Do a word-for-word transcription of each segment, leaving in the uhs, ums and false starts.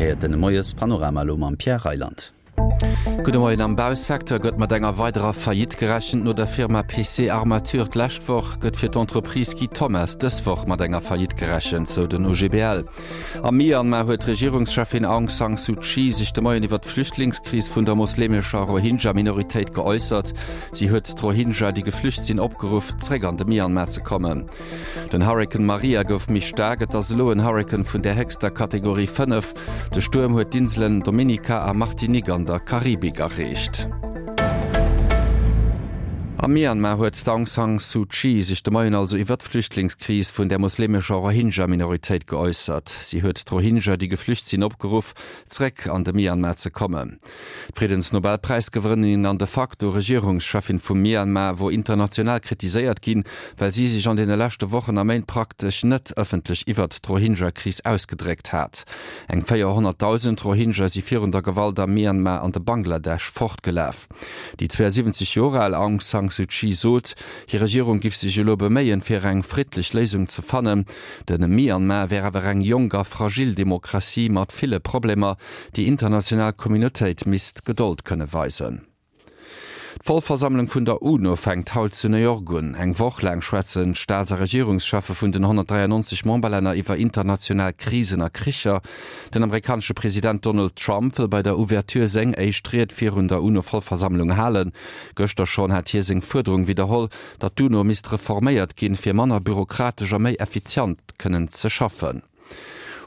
Dir héiert den Moiespanorama elo mam Pierre Reyland. Gudde Moien, Am Bausecteur gëtt mat enger weiderer Faillite gerechent. No der Firma P C Armature d'lescht Woch gëtt fir d'Entreprise Guy Thommes dës Woch mat enger Faillite gerechent, sou den O G B L. Am Myanmar huet d'Regierungscheffin Aung San Suu Kyi sech de Moien iwwer d'Flüchtlingskris vun der moslemescher Rohingya-Minoritéit geäussert. Si huet d'Rohingya, déi geflücht sinn, opgeruff, zréck an de Myanmar ze kommen. Den Hurrikan Maria gouf méi staark, et ass elo en Hurrikan vun der héchster Kategorie fënnef. De Stuerm huet d'Inselen Dominica a Martinique an der Karibik erreecht. Am Myanmar huet d'Aung San Suu Kyi sech de Moien also iwwer d'Flüchtlingskris vun der moslemescher Rohingya-Minoritéit geäussert. Si huet d'Rohingya, déi geflücht sinn, opgeruff, zréck an de Myanmar ze kommen. D'Friddensnobelpräisgewënnerin an de facto Regierungscheffin vum Myanmar wor international kritiséiert ginn, well si sech an deene leschte Wochen a Méint praktesch net ëffentlech iwwer d'Rohingya-Kris ausgedréckt hat. Eng véierhonnertdausend Rohingya si virun der Gewalt am Myanmar an de Bangladesch fortgelaf. Déi zwouasiwwenzeg Joer al Aung San Suu Kyi sot, hir Regierung géif sech elo beméien, fir eng friddlech Léisung ze fannen. De Myanmar wär awer eng jonk a fragil Demokratie mat ville Problemer, déi international Communautéit misst Gedold kënne weisen. D'Vollversammlung vun der UNO fänkt haut zu New York un. Eng Woch laang schwätzen d'Staats a Regierungscheffe vun den honnertdräianonzeg Memberlänner iwwer international Krisen a Kricher. Den amerikanesche President Donald Trump wëll bei der Ouverture seng éischt Ried virun der UNO-Vollversammlung halen. Gëschter schonn hat hie seng Fuerderung widderholl, datt d'UNO misst reforméiert ginn, fir manner bürokratesch a méi effizient kënnen ze schaffen.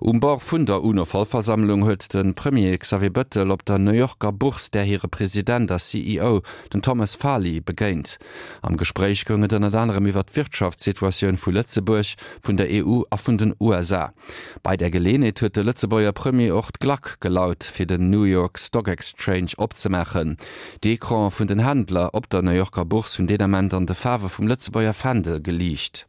Um Bord vun der UNO-Vollversammlung huet de Premier Xavier Bettel op der New Yorker Bourse där hire President a C E O, den Thomas Farley, begéint. Am Gespréich goung et ënnert anerem iwwer d'Wirtschaftssituatioun vu Lëtzebuerg, vun der E U a vun den U S A. Bei der Geleeënheet huet de Lëtzebuerger Premier och d'Klack gelaut, fir den New York Stock Exchange opzemaachen. D'Ecrane vun den Händler op der New Yorker Bourse hunn deen Ament an de Faarwe vum Lëtzebuerger Fändel geliicht.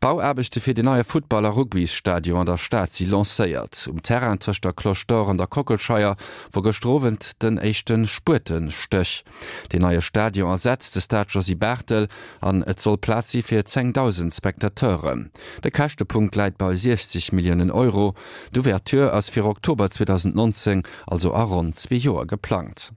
D'Bauaarbechte fir den neie Futtball a Rugbysstadion an der Stad si lancéiert. Um Terrain tëscht der Cloche d'Or an der Kockelscheier wor gëschter Owend den éischte Spuetestéch. Den neie Stadion ersetzt de Stade Josy Barthel an et soll Plaz si fir zéngdausend Spectateuren. De Käschtepunkt läit bei siechzeg Milliounen Euro. D'Ouverture ass fir Oktober zweedausendnonzéng, also a ronn zwee Joer geplangt.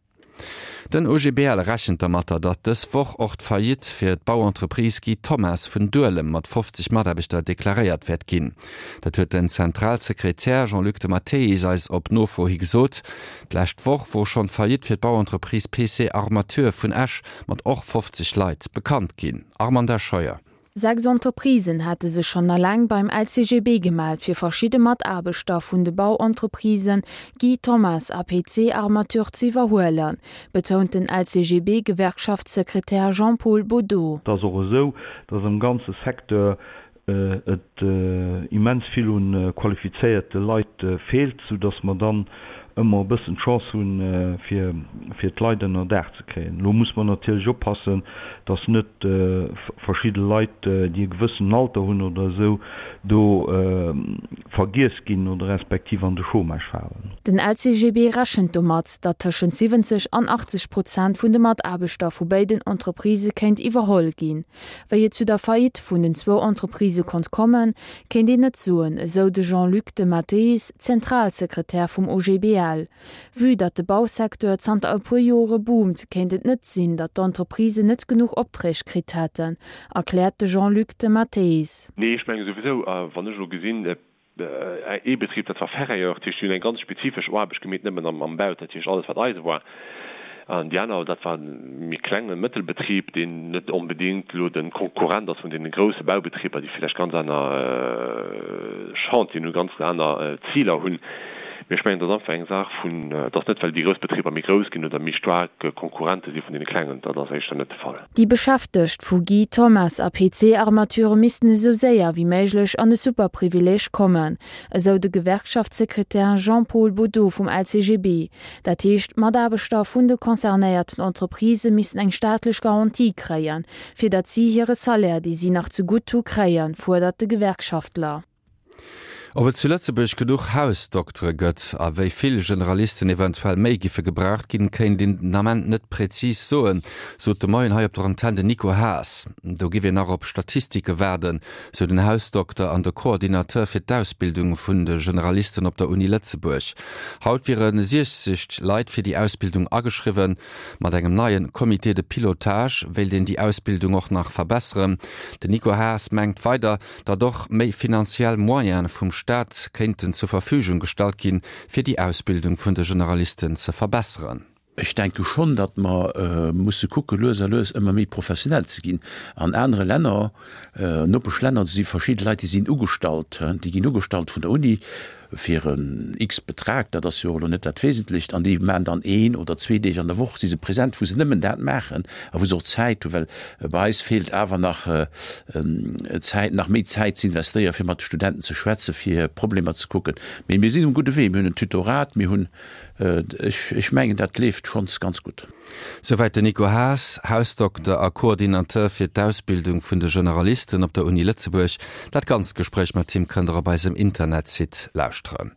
Den O G B L rechent dermatter, datt dës Woch och d'Faillite fir d'Bauentreprise Guy Thommes vun Duelem mat fofzeg Mataarbechter deklaréiert wäert ginn. Dat huet den Zentralsekretär Jean-Luc de Matteis eis op Nofro hi gesot. D'lescht Woch wor schonn d'Faillite fir d'Bauentreprise P C Armature vun Esch mat och fofzeg Leit bekannt ginn. Armanda Scheuer. Sechs Entreprisen hate sech schonn eleng beim L C G B gemellt, fir verschidde Mataarbechter vun de Bauentreprisen Guy Thommes a P C Armature ze iwwerhuelen, betount den L C G B-Gewerkschaftssekretär Jean-Paul Baudot. Et ass och esou, datt am ganze Secteur et immens vill un qualifizéierte Leit feelt, soudatt mer dann ëmmer e bëssen d'Chance hunn, fir fir d'Leit ënnerdaach ze kréien. Elo muss mer natierlech oppassen, datt net verschidde Leit, déi e gewëssenen Alter hunn oder esou, do vergiess ginn oder respektiv an de Chômage falen. Den L C G B rechent domat, datt tëschent siwwenzeg an achtzeg Prozent vun de Mataarbechter vu béiden Entreprisë kéint iwwerholl ginn. Wéi et zu der Faillite vun den zwou Entreprisë konnt kommen, kéint een net soen, esou de Jean-Luc de Matteis, Zentralsekretär vum O G B L. Vue datt de Bausecteur zanter e puer Jore boomt, kéint et net sinn, datt d'Entreprisen net genuch Opträg kritt hätten, erkläert de Jean-Luc de Matteis. Nee, ech menge souwisou, wann ech elo gesinn, ee Betrib, dat war Ferrailleur, dat heescht, déi hunn eng ganz spezifesch Aarbecht gemeet, nëmmen am Bau, dat heescht alles wat Eise war. An déi aner, dat war e méi klenge Mëttelbetrib, deen net onbedéngt elo de Konkurrent ass vun deene grousse Baubetriber, déi villäicht ganz aner Chantieren hunn, ganz aner Ziler hunn. Mee ech mengen, dat ass einfach eng Saach vun, et ass net, well déi grouss Betriber méi grouss ginn oder méi staark Konkurrente si vun deene klengen, dat ass éischter net de Fall. Déi Beschäftegt vu Guy Thommes a P C Armature missten esou séier wéi méiglech an de Superprivileeg kommen, esou de Gewerkschaftssekretär Jean-Paul Baudot vum L C G B. Dat heescht, d'Mataarbechter vun de concernéierten Entreprisë missten eng staatlech Garantie kréien, fir datt si hire Salaire, dee si nach zegutt hu, kréien, fuerdert de Gewerkschaftler. Ob et zu Lëtzebuerg genuch Hausdoktere gëtt a wéi vill Generalisten eventuell méi giffe gebraucht ginn, kéint een den Ament net prezis soen, sot de Moien hei op der Antenn den Nico Haas. Do giff een nach op Statistike waarden, sou den Hausdokter an de Coordinateur fir d'Ausbildung vun de Generalisten op der Uni Lëtzebuerg. Haut wiere siechzeg Leit fir déi Ausbildung ageschriwwen. Mat engem neie Comité de pilotage wéilt een déi Ausbildung och nach verbesseren. Den Nico Haas mengt weider, datt och méi finanziell Moyene vum Staat kéinten zur Verfügung gestallt ginn, fir déi Ausbildung vun de Generalisten ze verbesseren. Ech denke schonn, datt mer musse kucke lues a lues ëmmer méi professionell ze ginn. An anere Länner, Nopeschlänner, do si verschidde Leit, déi sinn ugestallt, déi ginn ugestallt vun der Uni fir en x-Betrag, dat ass jo och elo net dat Wesentlecht, an déi maachen dann een oder zwee Deeg an der Woch si se present, wou se nëmmen dat maachen a wou se och Zäit hunn, well bei eis feelt awer nach Zäit, nach méi Zäit ze investéieren, fir mat de Studenten ze schwätzen, fir Problemer ze kucken. Mee mir sinn um gudde Wee, mir hunn en Tutorat, mir hunn, ech, ech mengen, dat leeft schonns ganz gutt. Souwäit den Nico Haas, Hausdokter a Coordinateur fir d'Ausbildung vun de Generalisten op der Uni Lëtzebuerg. Dat ganzt Gespréich mat him kënnt der op eisem Internetsite lauschteren.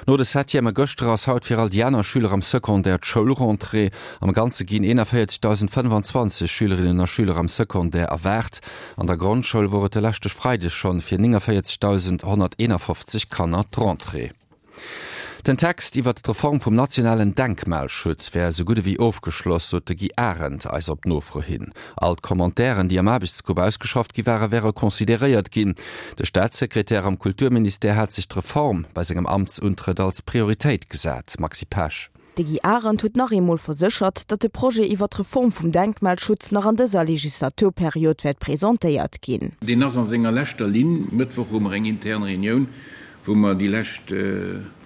No de Septièmë gëschter ass haut fir all déi aner Schüler am Secondaire d'Schoulrentrée. Am Ganze ginn eenanvéierzegdausendfënnfanzwanzeg Schülerinnen a Schüler am Secondaire erwaart. An der Grondschoul wor et de leschte Freideg schonn fir nénganvéierzegdausendhonnerteenafofzeg Kanner d'Rentrée. Den Text iwwert d'Reform vum nationalen Denkmalschutz wär esou gutt ewéi ofgeschloss, sot de Guy Arendt eis op Nofro hin. All d'Commentairen, déi am Aarbechtsgrupp ausgeschafft gi ware, wäre consideréiert ginn. De Staatssekretär am Kulturministère hat sech d'Reform bei sengem Amtsuntrëtt als Prioritéit gesat. Maxi Pesch. De Guy Arendt huet nach eemol verséchert, datt de Projet iwwer d'Reform vum Denkmalschutz nach an dëser Legislaturperiod wäert presentéiert ginn. Deen ass a senger leschter Linn. Mëttwoch hu mer eng intern Reunioun, wou mer déi lescht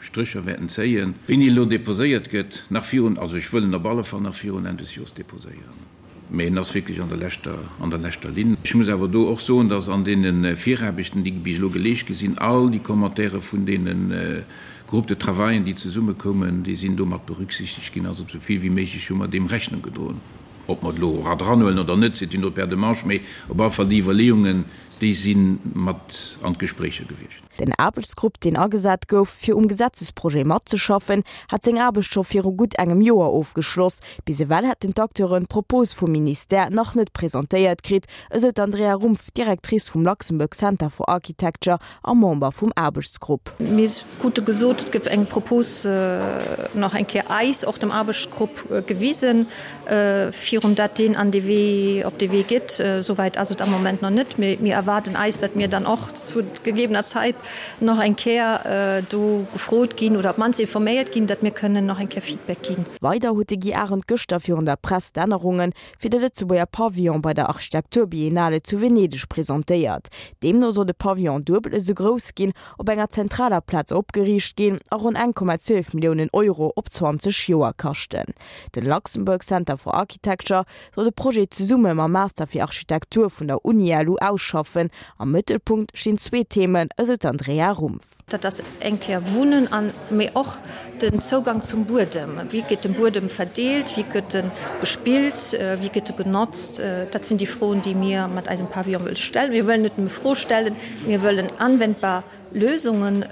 Strécher wäerten zéien. Wéini elo deposéiert gëtt, nach virun, also ech wëll en op alle Fall nach virun Enn des Jores deposéieren, mä en ass wierklech an der leschter, an der leschter Linn. Ech muss awer do och soen, dass an deene Viraarbechten, déi bis elo geleescht gi sinn, all déi Commentaire vun deene Groupes de travaillen, déi zesummekoumen, déi sinn do mat berücksichtegt ginn. Also esou vill wéi méiglech hu mer deem Rechnung gedroen. Ob mer et elo era dranhuelen oder net, c'est une autre paire de manches, mä op alle Fall déi Iwwerleeungen, déi si mat an d'Gespréicher gewiescht. Den Aarbechtsgrupp, deen agesat gouf, fir um Gesetzesprojet matzeschaffen, hat seng Aarbecht scho viru gutt engem Joer ofgeschloss. Bis ewell hätten d'Acteuren d'Propos vum Ministère nach net presentéiert kritt, esou d'Andrea Rumpf, Directrice vum Luxembourg Center for Architecture a Member vum Aarbechtsgrupp. Mir krute gesot, et gëff eng Propos nach eng Kéier eis, och dem Aarbechtsgrupp, gewisen, virun dat deen an de Wee, op de Wee geet. Esouwäit ass et am Moment nach net, mee mir erwaarden eis, datt mir dann och zu gegebener Zäit nach eng Kéier do gefrot ginn oder op d'mannst informéiert ginn, datt mir kënnen nach eng Kéier Feedback ginn. Weider huet de Guy Arendt gëschter virun der Press d'Ännerunge fir de Lëtzebuerger Pavillon bei der Architekturbiennale zu Venedeg presentéiert. Deemno soll de Pavillon duebel esou grouss ginn, op enger zentraler Plaz opgeriicht ginn a ronn eng Komma zwielef Milliounen Euro op zwanzeg Joer kaschten. De Luxembourg Center for Architecture soll de Projet zesumme mam Master fir Architektur vun der UniLu ausschaffen. Am Mëttelpunkt stinn zwee Themen, esou d'Andrea Rumpf. Dat ass eng Kéier Wunnen an, mee och den Zougang zum Buedem. Wéi gëtt den Buedem verdeelt, wéi gëtt e bespillt, wéi gëtt e genotzt? Dat sinn déi Froen, déi mir mat eisem Pavillon wëlle stellen. Mir wëllen net nëmme Froe stellen, mir wëllen anwendbar Lösungen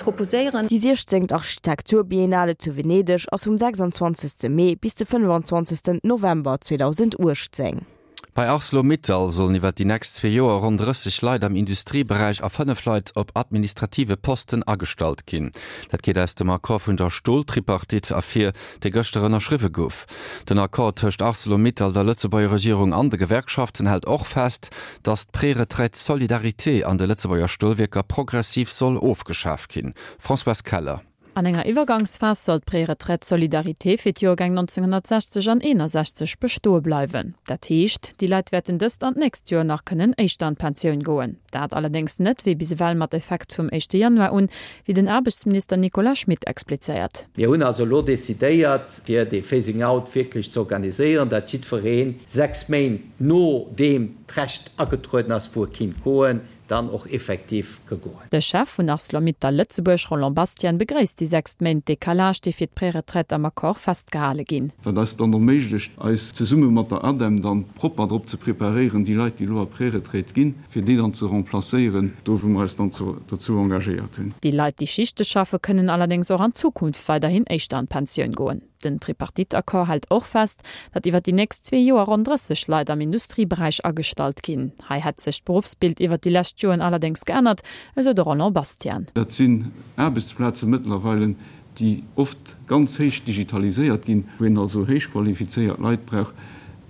proposéieren. Déi siechzéngt Architekturbiennale zu Venedeg ass vum sechsundzwanzegste Mee bis de fënnefanzwanzegsten November zweedausenduechtzéng. Bei Arcelor-Mittal sollen iwwer déi nächst zwee Joer ronn drësseg Leit am Industrieberäich a fënnef Leit op administrative Posten agestallt ginn. Dat geet aus dem Accord vun der Stoltripartite ervir, dee gëschter ënnerschriwwe gouf. Den Accord tëscht Arcelor-Mittal, der Lëtzebuerger Regierung an de Gewerkschaften hält och fest, datt d'Preretraite solidarité an de Lëtzebuerger Stolwierker progressiv soll ofgeschaf ginn. Françoise Keller. An enger Iwwergangsphas soll d'Preretraite solidarité fir d'Joergäng nonzénghonnertsechzeg an eenasechzeg bestoe bleiwen. Dat heescht, déi Leit wäerten dëst an d'nächst Joer nach kënnen éischter an d'Pensioun goen. Dat allerdéngs net wéi bis ewell mat Effekt vum éischte Januar un, wéi den Aarbechtsminister Nicolas Schmit explizéiert. Mir hunn also elo decidéiert, fir dee Phasing out wierklech ze organiséieren, datt jiddweree sechs Méint nodeem d'Recht agetrueden ass, wou e kinnt goen, dann och effektiv ka goen. De Chef vun Arcelor-Mittal Lëtzebuerg, Roland Bastian, begréisst déi sechs Méint Decalage, déi fir d'Preretraite am Accord festgehale ginn. Wat eis dann erméiglecht, eis zesumme mat der ADEM dann propper drop ze preparéieren, déi Leit, déi elo a Preretraite ginn, fir déi dann ze remplacéieren, do wou mer eis dann dozou engagéiert hunn. Déi Leit, déi Schichte schaffe, kënnen allerdéngs och an Zukunft weiderhin éischter an d'Pensioun goen. Den Tripartite-Accord hält och fest, datt iwwer déi nächst zwee Joer ronn drësseg Leit am Industrieberäich agestallt ginn. Hei hätt sech d'Beruffsbild iwwer déi lescht Joren allerdéngs geännert, esou de Roland Bastian. Dat sinn Aarbechtsplaze mëttlerweile, déi oft ganz héich digitaliséiert ginn, wou een also héich qualifizéiert Leit brauch,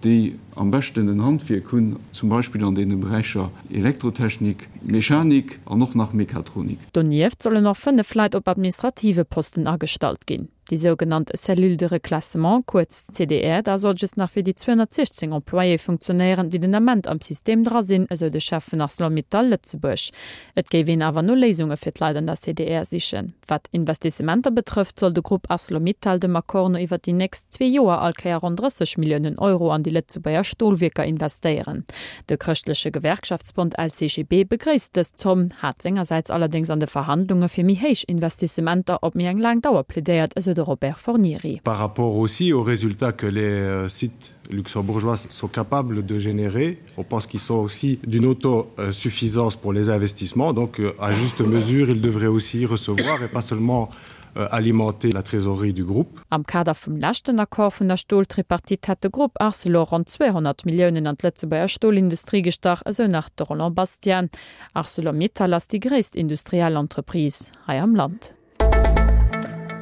déi am beschten en Handwierk hunn, zum Beispill an deene Beräicher Elektrotechnik, Mechanik an och nach Mechatronik. Donieft sollen och fënnef Leit op administrative Posten agestallt ginn. Déi sougenannt Cellule de reclassement, kuerz C D R, da soll just nach fir déi zweehonnertsiechzéng Employéë funktionéieren, déi den Ament am System dra sinn, esou de Chef vun Arcelor-Mittal Lëtzebuerg. Et géif een awer no Léisunge fir d'Leit an der C D R sichen. Wat Investissementer betrëfft, soll de Grupp Arcelor-Mittal dem Accord no iwwer déi nächst zwee Joer all Kéier ronn drësseg Milliounen Euro an déi Lëtzebuerger Stolwierker investéieren. De chrëschtleche Gewerkschaftsbond L C G B begréisst dës Zomm, hat sengersäits allerdéngs an de Verhandlunge fir méi héich Investissementer op méi eng laang Dauer plädéiert, esou de Robert Fornieri. Par rapport aussi aux résultats que les sites luxembourgeois sont capables de générer, on pense qu'ils sont aussi d'une autosuffisance pour les investissements, donc à juste mesure, ils devraient aussi recevoir et pas seulement alimenter la trésorerie du groupe. Am Kader vum leschten Accord vun der Stoltripartite hat de Grupp Arcelor ronn zweehonnert Milliounen an d'Lëtzebuerger Stolindustrie gestach, esou nach de Roland Bastian. Arcelor-Mittal ass déi gréisst industriell Entreprise hei am Land.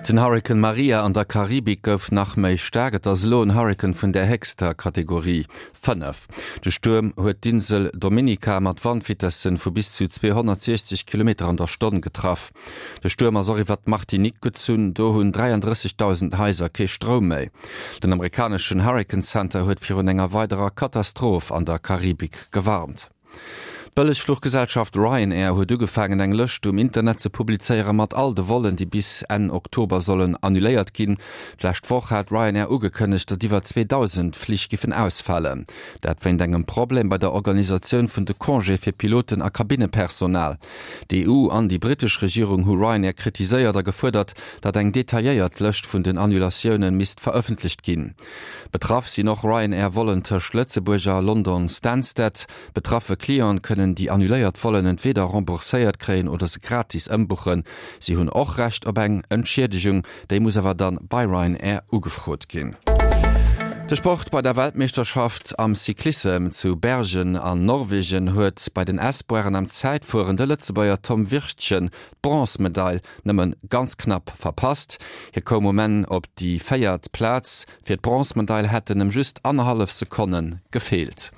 Den Hurrikan Maria an der Karibik gouf nach méi staark, et ass elo en Hurrikan vun der héchster Kategorie fënnef. De Stuerm huet d'Insel Dominica mat Wandvitessen vu bis zu zweehonnertsiechzeg Kilometer an der Stonn getraff. De Stuerm ass och iwwer d'Martinique gezunn, do hunn dräiandrëssegdausend Haiser kee Stroum méi. Den amerikaneschen Hurrikan Center huet virun enger weiderer Katastroph an der Karibik gewarnt. D'Bëllegfluchgesellschaft Ryanair huet ugefaangen eng Lëscht um Internet ze publizéiere mat all de Vollen, déi bis Enn Oktober sollen annuléiert ginn. D'lescht Woch hat Ryanair ugekënnegt, datt iwwer zweedausend Flich giffen ausfalen. Dat wéint engem Problem bei der Organisatioun vun de Congéë fir Piloten a Kabinnepersonal. D'E U an déi brittesch Regierung hu Ryanair kritiséiert a gefuerdert, datt eng detailléiert Lëscht vun den Annulatioune misst verëffentlecht ginn. Betraff sinn och Ryanair-Vollen tëscht Lëtzebuerg a London Stansted. Betraffe Cliente kënnen déi annuléiert Vollen entweder rembourséiert kréien oder se gratis ëmbuchen. Si hunn och Recht op eng Entschiedegung, déi muss awer dann bei Ryanair ugefrot ginn. De Sport, Bei der Weltmeeschterschaft am Cyclissem zu Bergen an Norwegen huet bei den Espoiren am Zäitfueren de Lëtzebuerger Tom Wirtgen d'Bronzmedail nëmme ganz knapp verpasst. Hie koum um Enn op déi véiert Plaz, fir d'Bronzmedail hätten em just annerhallef Sekonne gefeelt.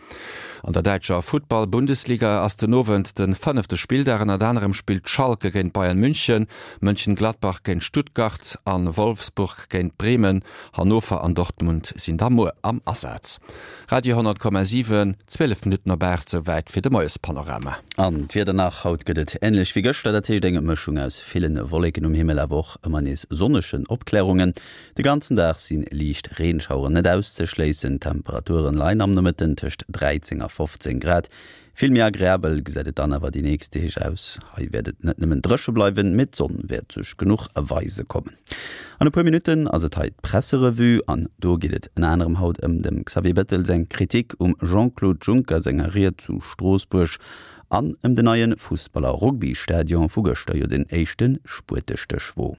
An der däitscher Futtball-Bundesliga ass den Owend de fënnefte Spilldag. Ënnert anerem spillt Schalke géint Bayern München, Mönchengladbach géint Stuttgart a Wolfsburg géint Bremen. Hannover an Dortmund sinn da muer am Asaz. Radio honnert Komma siwen, zwielef Minutten op aacht, souwäit fir de Moiespanorama. An d'Wieder nach, Haut gëtt et änlech wéi gëschter, dat heescht eng Mëschung aus ville Wolleken um Himmel, awer och ëmmer nees sonnegen Opklärungen. De ganzen Dag si liicht Reenschaueren net auszeschléissen. D'Temperaturen leien am Nomëtten tëscht dräizéng a fofzéng Grad. Vill méi agreabel gesäit et dann awer déi nächst Deeg aus. Hei wäert et net nëmmen dréche bleiwen, mee d'Sonn wäert sech genuch weise kommen. An e puer Minutten ass et hei d'Presserevue an do geet et ënner anerem haut ëm dem Xavier Bettel seng Kritik um Jean-Claude Juncker senger Ried zu Stroossbuerg an ëm den neie Fussball a Rugby-Stadion, wou gëschter jo den éischte Spuetestéch wor.